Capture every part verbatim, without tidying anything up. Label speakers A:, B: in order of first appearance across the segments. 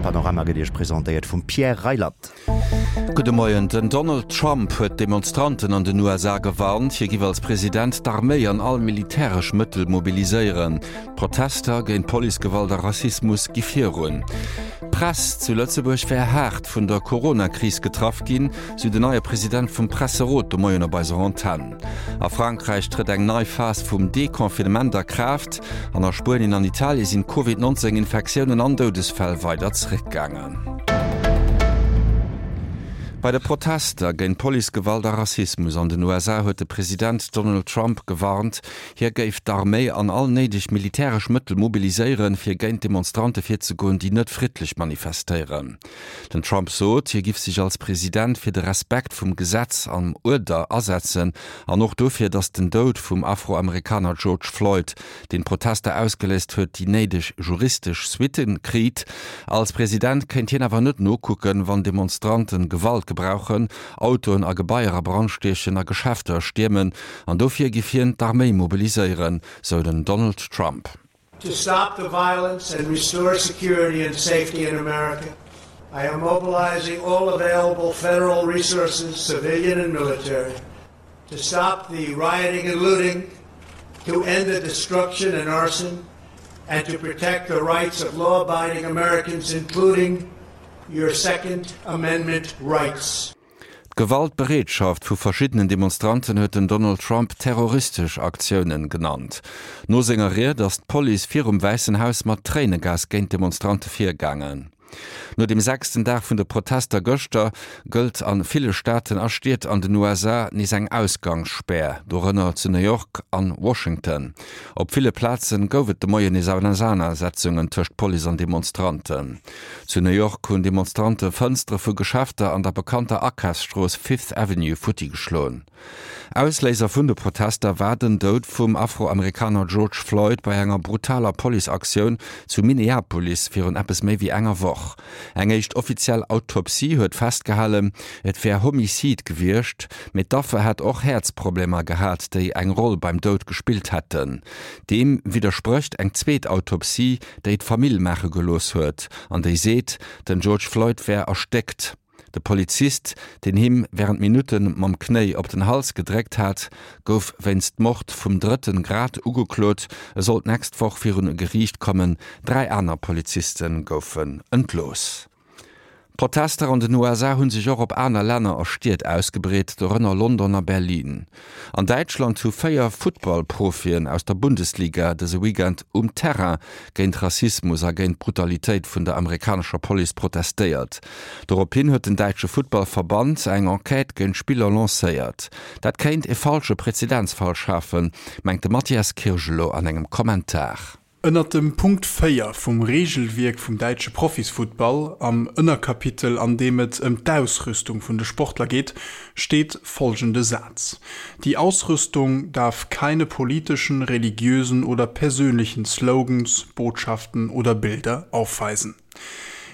A: Panorama gëtt Iech presentéiert vum Pierre Reyland.
B: Gudde Moien, Den Donald Trump huet d'Demonstranten an den U S A gewarnt, hie giff als President d'Arméi an all militäresch Mëttel mobiliséieren. D'Protester géint Policegewalt a Rassismus gi virun. D'Press zu Lëtzebuerg wär haart vun der Corona-Kris getraff ginn, sou den neie President vum Presserot de Moien op eiser Antenn. A Frankräich trëtt eng nei Phas vum Deconfinement a Kraaft an a Spuenien an Italie sinn d'Covid neunzehn Infektiounen an Doudesfäll weider zeréckgaangen. Bei de Protester géint Policegewalt a Rassismus an den U S A huet de President Donald Trump gewarnt, hie géif d'Arméi an all néideg militäresch Mëttel mobiliséieren, fir géint Demonstrante virzegoen, déi net friddlech manifestéieren. Den Trump sot, hie giff sech als President fir de Respekt vum Gesetz am Uerder asetzen an och dofir, datt den Doud vum Afroamerikaner George Floyd, den Protester ausgeléist huet, déi néideg juristesch Suitten kritt. Als President kéint hien awer net nokucken, wann Demonstranten Gewalt gebrauchen, Autoen a Gebaier a Brand stiechen a Geschäfter stiermen an dofir giff hien d'Arméi mobiliséieren, sou den Donald Trump.
C: To stop the violence and restore security and safety in America, I am mobilizing all available federal resources, civilian and military, to stop the rioting and looting, to end the destruction and arson, and to protect the rights of law-abiding Americans, including your Second Amendment rights.
B: D'Gewaltbereetschaft vu verschiddenen Demonstranten huet den Donald Trump terroristesch Aktiounen genannt. No senger Ried ass d'Police virum Wäissen Haus mat Tréinegas géint Demonstrante virgaangen. No dem sechsten Dag vun de Protester gëschter gëllt an ville Staaten a Stied an den U S A nees eng Ausgangssperr, dorënner zu New York an Washington. Op ville Plazen gouf et de Moien nees Auseinandersetzungen tëscht Police an Demonstranten. Zu New York hunn Demonstrante Fënstere vu Geschäfter an der bekannter Akafsstrooss Fifth Avenue futti geschloen. Ausléiser vun de Protester war den Doud vum Afroamerikaner George Floyd bei enger brutaler Policeaktioun zu Minneapolis virun eppes méi wéi enger Woch. Eng éischt offiziell Autopsie huet festgehalen, et wär Homicide gewiescht, mee d'Affer hätt och Häerzproblemer gehat, déi eng Roll beim Doud gespillt hätten. Deem widderspricht eng zweet Autopsie, déi d'Famill maache gelooss huet, an déi seet, den George Floyd wär erstéckt. De Polizist, den him während Minuten mam Knéi op den Hals gedréckt hat, gouf wéinst Mord vum drëtten Grad ugeklot. E sollt nächst Woch virun e Geriicht kommen. Dräi aner Polizisten goufen entlooss. Protester an den U S A hunn sech och op aner Länner a Stied ausgebreet, dorënner London a Berlin. An Däitschland hu véier Footballprofien aus der Bundesliga dëse Weekend um Terrain géint Rassismus a géint Brutalitéit vun der amerikanescher Police protestéiert. Dorophin huet den däitsche Footballverband eng Enquête géint Spiller lancéiert. Dat kéint e falsche Präzedenzfall schafen, mengt de Matthias Kirgelow an engem Kommentar.
D: Ënnert dem Punkt véier vum Regelwierk vum däitsche Profisfuttball, am Ënnerkapitel, an deem et ëm d'Ausrüstung vun de Sportler geet, steet folgende Satz: Die Ausrüstung darf keine politischen, religiösen oder persönlichen Slogans, Botschaften oder Bilder aufweisen.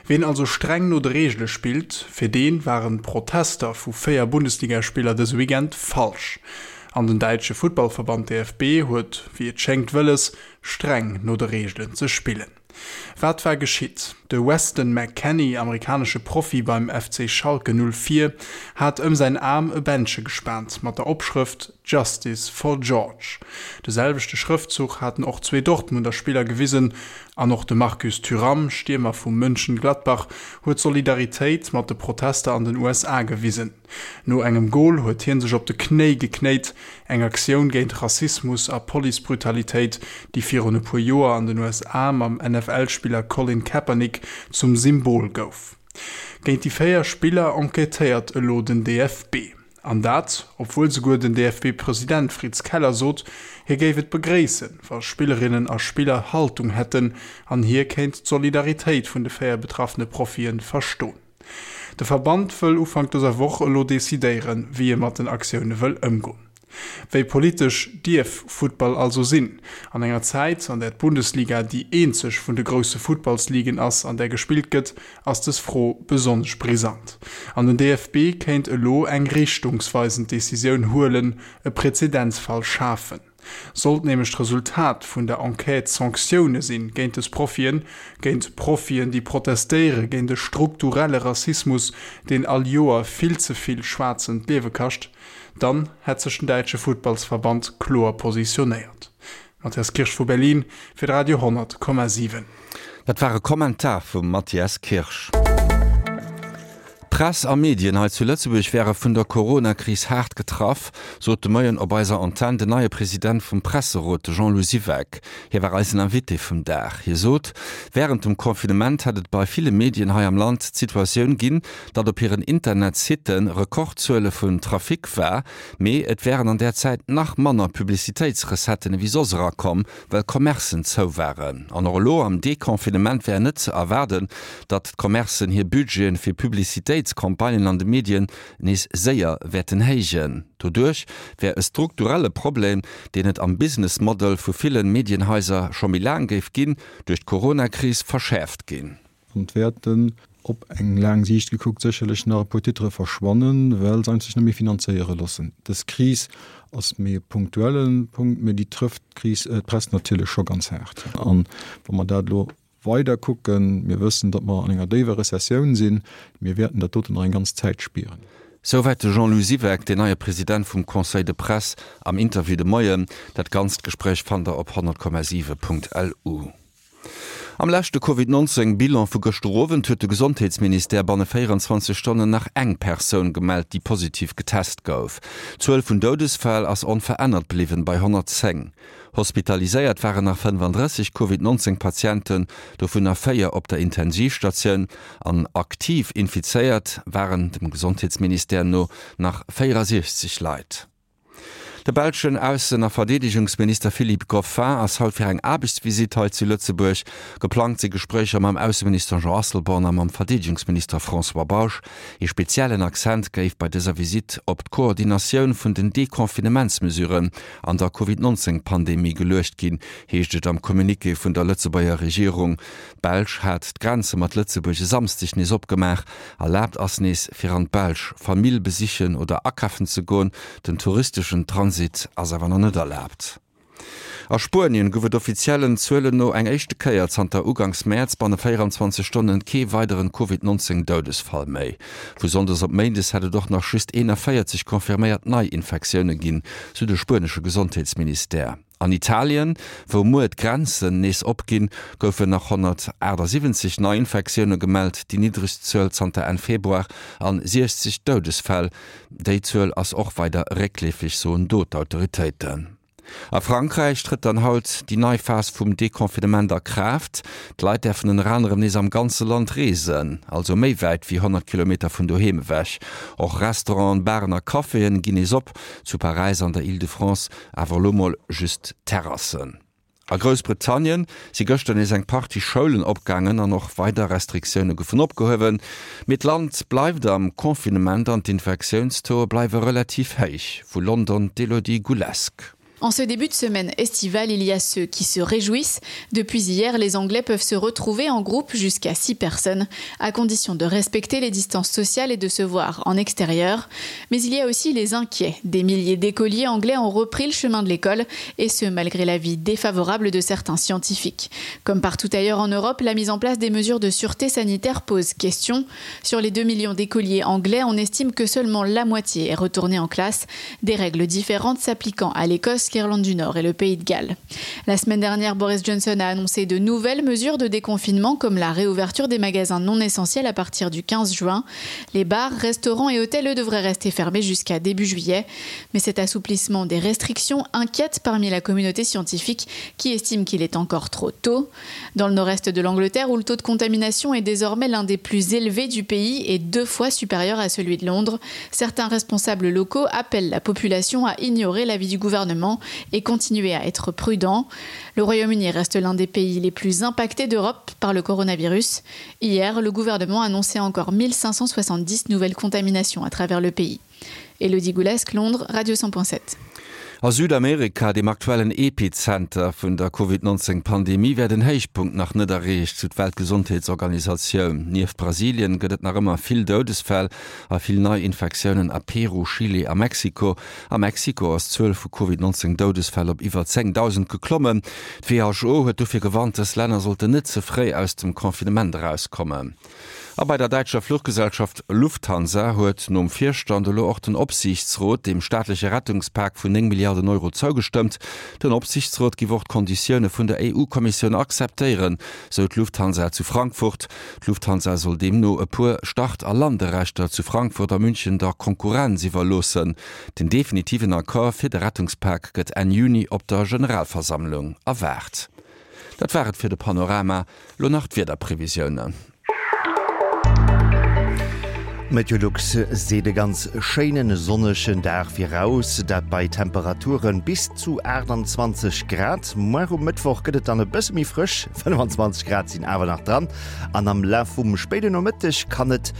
D: Wen also streng no de Regele spillt, fir den waren Protester vu véier Bundesligaspieler dëse Weekend falsch. An den däitsche Futtballverband D F B huet, wéi et schéngt wëlles, streng no de Regelen ze spillen. Wat war geschitt? De Weston McKennie, amerikanesche Profi beim F C Schalke null vier, hat ëm säin Arm e Bändche gespaant mat der Opschrëft Justice for George. De selwechte Schrëftzuch haten och zwee Dortmunder Spiller gewisen an och de Marcus Thuram, Stiermer vum Mönchengladbach, huet Solidaritéit mat de Protester an den U S A gewisen. No engem Goal huet hien sech op de Knéi geknéit, eng Aktioun géint Rassismus a Policebrutalitéit, déi virun e puer Joer an den U S A mam N F L-Spiller Colin Kaepernick zum Symbol gouf. Géint déi véier Spiller enquêtéiert elo den D F B. An dat, obwohl souguer den D F B-President Fritz Keller sot, hie géif et begréissen, wa Spillerinnen a Spiller Haltung hätten an hie kéint d'Solidaritéit vun de véier betraffene Profien verstoen. De Verband wëll Ufank dëser Woch elo decidéieren, wéi e mat den Aktioune wëll ëmgoen. Wéi politesch dierf Futtball also sinn? An enger Zäit, an der d'Bundesliga déi eenzeg vun de grousse Futtballsligen ass, an der gespillt gëtt, ass dës Fro besonnesch brisant. An den D F B kéint elo eng richtungsweisend Decisioun huelen, e Präzedenzfall schafen. Sollt nämlech d'Resultat vun der Enquête Sanktioune sinn géint des Profien, géint Profien, déi protestéiere géint de strukturelle Rassismus, deen all Joer vill ze vill Schwaarzen d'Liewe kascht, dann hätt sech den däitsche Futtballsverband kloer positionéiert. Matthias Kirsch vu Berlin fir de Radio honnert Komma siwen.
B: Dat war e Kommentar vum Matthias Kirsch. D'Press a Medien hei zu Lëtzebuerg wäre vun der Corona-Kris haart getraff, sot de Moien op eiser Antenn den neie President vum Presserot, de Jean-Lou Siweck. Hie war eisen Invité vum Dag. Hie sot, wärend dem Confinement hätt et bei ville Medien hei am Land d'Situatioun ginn, datt op hiren Internetsitte Rekordzuele vun Trafic war, mee et wären an där Zäit nach manner Publicitéitsrecetten ewéi soss erakomm, well Commercen zou waren. An och elo am Deconfinement wär net ze erwaarden, datt d'Commercen hir Budgeten fir Publicitéitscampagnen an de Medien nees séier wäerten héijen. Doduerch wär e strukturelle Problem, deen et am Business Model vu ville Medienhaiser scho méi laang géif ginn, duerch d'Coronakris verschäerft ginn.
E: An et wäerten op eng laang Siicht gekuckt sécherlech nach e puer Titere verschwannen, well se sech net méi finanzéiere loossen. Dës Kris ass méi e punktuelle Punkt, mee déi trëfft d'Kris, d'Press natierlech scho ganz haart. An wa mer dat elo weider kucken, mir wëssen, datt mer an enger déiwer Rezessioun sinn, mir wäerten dat doten nach eng ganz Zäit spieren.
B: Souwäit de Jean-Lou Siweck, deen neie President vum Conseil de Presse am Interview de Moien. Dat ganzt Gespréich fannt der op honnert Komma siwe Punkt lu. Am leschte Covid neunzéng Bilan vu gëschter Owend huet de Gesondheetsministère banne véierenzwanzeg Stonnen nach eng Persoun gemellt, déi positiv getest gouf. D'Zuel vun Doudesfäll ass onverännert bliwwen bei honnertzéng. Hospitaliséiert waren nach fënnefandrësseg Covid neunzéng Patienten, dovunner véier op der Intensivstatioun. An aktiv infizéiert waren dem Gesondheetsministère no nach véierasiechzeg Leit. De belschen Aussen a Verdeedegungsminister Philippe Goffin ass haut fir eng Aarbechtsvisitt hei zu Lëtzebuerg. Geplangt si Gespréicher mam Ausseminister Jean Asselborn a mam Verdeedegungsminister François Bausch. Ee speziellen Accent géif bei dëser Visitt op d'Koordinatioun vun den Deconfinementsmesuren an der Covid neunzéng Pandemie geluecht ginn, heescht et am Communiqué vun der Lëtzebuerger Regierung. D'Belsch hat d'Grenze mat Lëtzebuerg e Samsdeg nees opgemaach. Erlaabt ass nees, fir an d'Belsch Famill besichen oder akafen ze goen. Den touristeschen Transit ass awer nach net erlaabt. A Spuenien gouf et offiziellen Zuelen no eng éischte Kéier zanter Uganks Mäerz banne véierenzwanzeg Stonnen kee weideren Covid neunzéng Doudesfall méi. Vu Sonndes op Méindes hätt et och nach just eenanvéierzeg confirméiert Neiinfektioune ginn, sou de spuenesche Gesondheetsministère. An Italien, wou muer d'Grenzen nees opginn, goufen nach honnertaachtsiwwenzeg Neiinfektioune gemellt, déi niddregst Zuel zanter Enn Februar, an siechzeg Doudesfäll. Déi Zuel ass och weider réckleefeg, soen do d'Autoritéiten. A Frankräich trëtt dann haut déi nei Phas vum Deconfinement a Kraaft. D'Leit däerfen ënner anerem nees am ganze Land reesen, also méi wäit wéi honnert Kilometer vun doheem ewech. Och Restauranten, Baren a Caféen ginn nees op, zu Paräis an der Île-de-France awer elo mol just Terrassen. A Groussbritannien si gëschter nees eng Partie Schoulen opgaangen an och weider Restriktioune goufen opgehuewen. Mee d'Land bleift am Confinement an d'Infektiounstauxe bleiwe relativ héich. Vu London d'Elodie Goulesque.
F: En ce début de semaine estivale, il y a ceux qui se réjouissent. Depuis hier, les Anglais peuvent se retrouver en groupe jusqu'à six personnes, à condition de respecter les distances sociales et de se voir en extérieur. Mais il y a aussi les inquiets. Des milliers d'écoliers anglais ont repris le chemin de l'école, et ce malgré l'avis défavorable de certains scientifiques. Comme partout ailleurs en Europe, la mise en place des mesures de sûreté sanitaire pose question. Sur les deux millions d'écoliers anglais, on estime que seulement la moitié est retournée en classe. Des règles différentes s'appliquant à l'Écosse, l'Irlande du Nord et le Pays de Galles. La semaine dernière, Boris Johnson a annoncé de nouvelles mesures de déconfinement comme la réouverture des magasins non essentiels à partir du quinze juin. Les bars, restaurants et hôtels, eux, devraient rester fermés jusqu'à début juillet. Mais cet assouplissement des restrictions inquiète parmi la communauté scientifique qui estime qu'il est encore trop tôt. Dans le nord-est de l'Angleterre, où le taux de contamination est désormais l'un des plus élevés du pays et deux fois supérieur à celui de Londres, certains responsables locaux appellent la population à ignorer l'avis du gouvernement et continuer à être prudent. Le Royaume-Uni reste l'un des pays les plus impactés d'Europe par le coronavirus. Hier, le gouvernement annonçait encore mille cinq cent soixante-dix nouvelles contaminations à travers le pays. Elodie Goulesque, Londres, Radio cent point sept.
B: A Südamerika, dem aktuellen Epizenter vun der Covid neunzéng Pandemie, wär den Héichpunkt nach net erreecht, sou d'Weltgesondheetsorganisatioun. Nieft Brasilien gëtt et nach ëmmer vill Doudesfäll a vill Neiinfektiounen a Peru, Chile a Mexiko. A Mexiko ass d'Zuel vu Covid neunzéng Doudesfäll op iwwer zéngdausend geklommen. D'WHO huet dofir gewarnt, dës Länner sollten net ze fréi aus dem Confinement erauskommen. A bei der däitscher Fluchgesellschaft Lufthansa huet nom Virstand elo och den Opsiichtsrot dem staatleche Rettungspak vun néng Milliarden Euro zougestëmmt. Den Opsiichtsrot giff och d'Konditioune vun der E U-Kommissioun akzeptéieren, sou d'Lufthansa zu Frankfurt. D'Lufthansa soll deemno e puer Start a Landerechter zu Frankfurt a München der Konkurrenz iwwerloossen. Den definitiven Accord fir de Rettungspak gëtt Enn Juni op der Generalversammlung erwaart. Dat war et fir de Panorama, lo nach d'Wiederprevisiounen.
A: Meteolux seet e ganz schéinen sonnegen Dag viraus, dat bei Temperature bis zu aachtanzwanzeg Grad. Muer um Mëttwoch gëtt et dann e bësse méi frësch, fënnefan zwanzeg Grad sinn awer nach dran an am Laf vum spéiden Nomëtteg kann et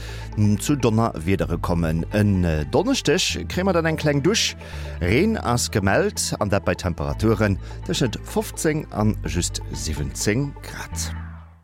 A: zu Donnerwiedere kommen. En Donneschdeg kréie mer dann eng kleng Dusch, Reen ass gemellt an dat bei Temperaturen tëschent fofzéng an just siwwenzéng Grad.